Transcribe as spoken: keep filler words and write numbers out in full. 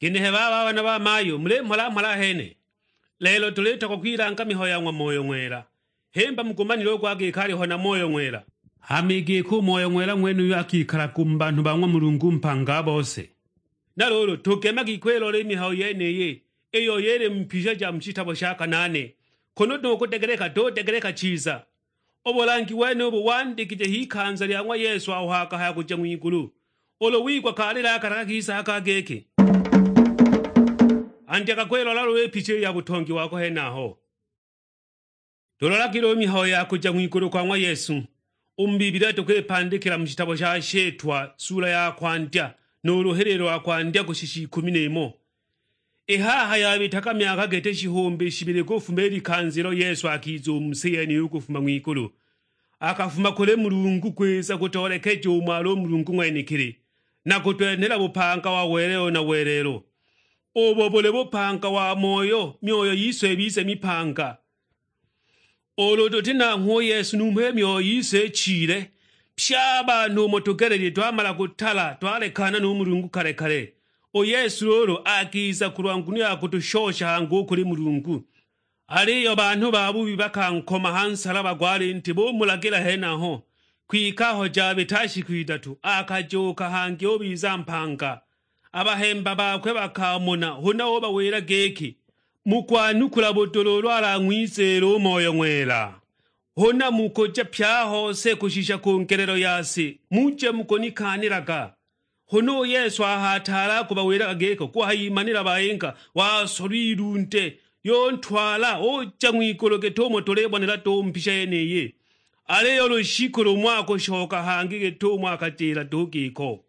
Ginehe baba a bana ba mayu, mulimhola-mhola ahene? Lelo tulitogwa kwilanga mihayo ya ng'wa Moyo Ng'wela. Himba mugumanile u gwa giki aliho na Moyo Ng'wela. Hama i giki u Moyo Ng'wela ng'wenuyu akikalaga u mu banhu ba ng'wa Mulungu mpanga a bose. Na luulu, tugemagi kwilola i mihayo yeniyi, iyo yili mu mbisha ja mu shitabo sha Kanaane, kunu tukudegeleka, tudegeleka chiza. U bulangi wenubu wandikije h'ikanza lya ng'wa Yesu aho akahaya kuja ng'wigulu. Ulu wigwa kalila aka takakisaga giki, andyaga kwilola luulu i picha i ya butongi wako henaho. Tulolagile u mihayo ya kuja ng'wigulu kwa ng'wa Yesu u mu Bibilia, tukwipandikila mu shitabo sha Shitwa, sula ya kwandya, nu luhililo lwa kwandya kushisha ikumi n'imo. I haha yabitaga myaka gete shihumbi shibili kufuma i likanza ilo Yesu akiza u mu si yeniyi u kufuma ng'wigulu. Akafuma kuli Mulungu kwiza kutoolekeja umo ali u Mulungu ng'wenekili, na kutwenhela bupanga wa welelo na welelo. Ubo buli bupanga wa moyo, myoyo yise ibize mipanga. Ulu tuti nanghwe u Yesu numho i myoyo yise ichile, pye a banhu umo tugelelile twamala kutala, twalekana nu Mulungu kale-kale. U Yesu luulu akiza kulwa nguno ya kutushosha hangi u kuli Mulungu. Aliyo banhu babubi bakankoma ha nsalaba gwa linti, bumulagila henaho. Kwike aho jabita shiku idatu, akajuuka hangi ubiza mpanga. A bahemba bakwe bakamona, huna ubawila giki, "Mukwanukula budula ulu alang'wiziila u Moyo Ng'wela. Huna mukuja pye a hose kushisha ku ngelelo ya si, muje mukunikaanilaga." Huna u Yesu aho ataali akubawilaga giko, kuhayimanila bayinga, wasolwa ilunde, yuntwala uja ng'wigulu git'umo tulibonela duhu mbisha yeniyi. Aliyo lushiku lumo akushoka hangi git'umo akatila duhu giko.